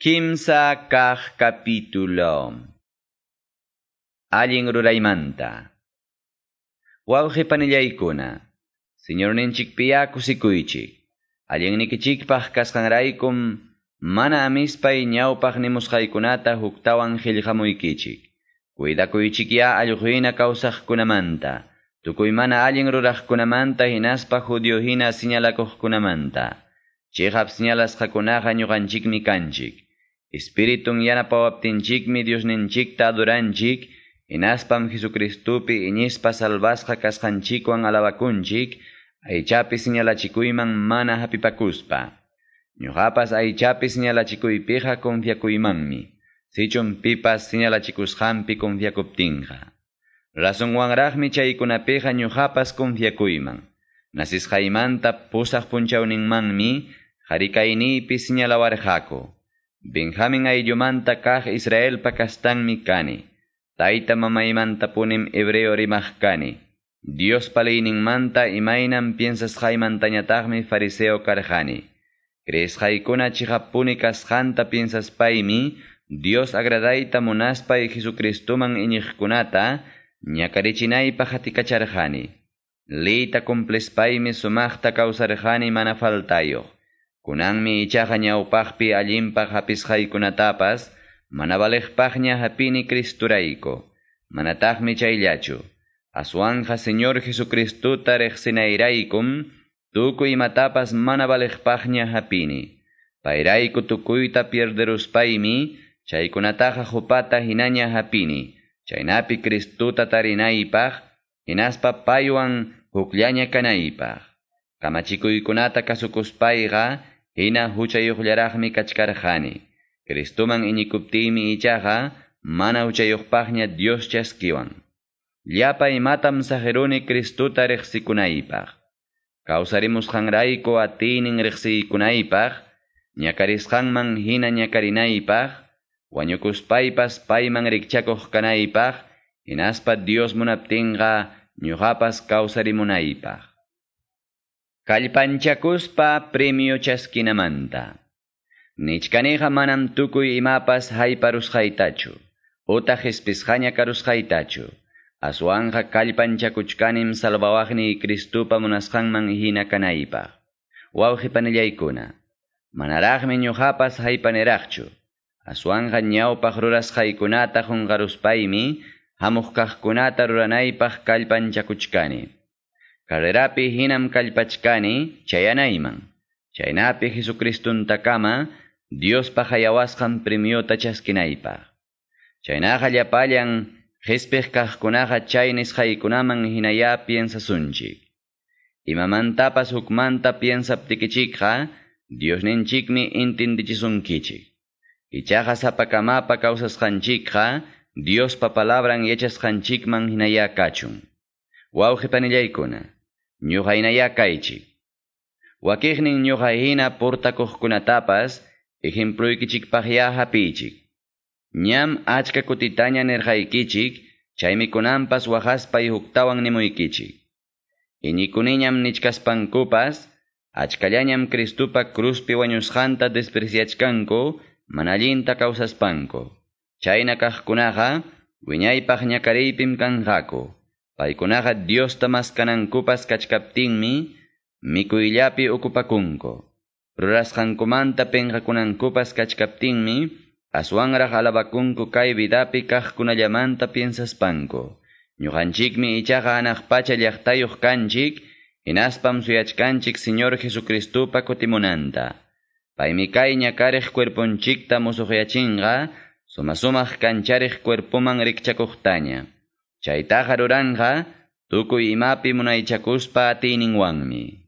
Kimsa kaq capítulo. Allin ruraymanta. Wawqi panillaykuna, Señorninchikpiya kusikuychik. Allinnikichikpaq kasqanraykum mana amispay ñawpaq nimusqaykunata huktawan qillqamuykichik. Cuidakuychikya allquhina kawsaqkunamanta, tukuy mana allin ruraqkunamanta hinaspa judío hina señalakuqkunamanta. Chiqap señalasqakunaqa ñuqanchikmi kanchik. Espiritun yanapawaptinchikmi Diosninchikta adoranchik, hinaspam Jesucristupi iñispa salvasqa kasqanchikwan alabakunchik, aychapi señalachikuyman mana hapipakuspa. Ñuqapas aychapi señalachikuypiqa confiakuymanmi, sichum pipas señalachikusqanpi confiakuptinqa. Razonwanraqmi chaykunapiqa ñuqapas confiakuyman. Nasisqaymanta pusaq punchawninmanmi harikayniypi señalawarqaku. Benjamin ayllumanta kaq Israelpa kastanmi kani. Tayta mamaymantapunim hebreo rimaq kani. Diospa leyninmanta imaynam piensasqaymantañataqmi fariseo karqani. Creesqaykuna chiqapuni kasqanta piensaspaymi Dios agradayta munaspay Jesucristuman iñiqkunata ñakarichinaypaq hatikacharqani. Leyta cumplispaymi sumaqta kawsarqani mana faltayuq. Kunanmi ichaqa ñawpaqpi allinpaq hapisqaykunatapas mana valiqpaqña hapini Cristurayku. Manataqmi chayllachu. Aswanja Señor Jesucristuta riqsinayraykum tukuy imatapas mana valiqpaqña hapini. Payrayku tukuyta pierderuspaymi chaykunataqa hupata hinaña hapini. Chaynapi Cristuta tarinaypaq hinaspa paywan hukllaña kanaypaq. Kamachikuykunata kasukuspayqa hina huchayuqllaraqmi kachkarqani. Cristuman iñikuptiymi ichaqa mana huchayuqpaqña Dios chaskiwan. Llapa imatam saqiruni Cristuta riqsikunaypaq. Kawsarimusqanrayku atiynin riqsiykunaypaq, ñakarisqanman hina ñakarinaypaq, wañukuspaypas payman rikchakuq kanaypaq, hinaspa Dios munaptinqa ñuqapas kawsarimunaypaq. Kallpanchakuspa premio chaskinamanta. Nichkaniqa manam tukuy imapas hayparusqaytachu, utaq qispisqaña karusqaytachu. Aswanja kallpanchakuchkanim salvawaqniy Cristupa munasqanman hina kanaypaq. Wawqi panillaykuna, manaraqmi ñuqapas haypaniraqchu. Aswanja ñawpaq rurasqaykunata qunqaruspaymi hamuq kaqkunata ruranaypaq kallpanchakuchkani. Carrerapi hinam kallpachkani chayanayman. Chaynapi Jesucristuntakama Diospa hayawasqan premiota chaskinaypaq. Chaynaqa llapallan qispiq kaqkunaqa chay nisqaykunaman hinaya piensasunchik. Imamantapas hukmanta piensaptikichikqa Diosninchikmi intindichisunkichik. Ichaqa sapakamapa kawsasqanchikqa Diospa palabran yachasqanchikman hinaya kachun. Wawqi panillaykuna, ñuqa hinaya kaychik. Wakiqnin ñuqa hina portakuqkunatapas ejemploykichikpaqya hapiychik. Ñam achka kutitaña nirqaykichik, chaymi kunanpas waqaspay huktawan nimuykichik. Iñikuniñam nichkaspankupas, achkallañam Cristupa cruzpi wañusqanta despreciachkanku, mana allinta kawsaspanku. Chayna kaqkunaqa wiñaypaq ñakariypim kanqaku. Paykunaqa Diosta maskanankupas kachkaptinmi mikuyllapi okupakunku. Rurasqankumanta pinqakunankupas kachkaptinmi aswanraq alabakunku kay vidapi kaqkunallamanta piensaspanku. Ñuqanchikmi ichaqa hanaq pacha llaqtayuq kanchik, hinaspam suyachkanchik Señor Jesucristupa kutimunanta. Paymi kay ñakariq cuerponchikta musuqyachinqa, suma-sumaq kanchariq cuerpoman rikchakuqtaña. Chaytaqa ruranqa tukuy imapi munaychakuspa atiyninwanmi.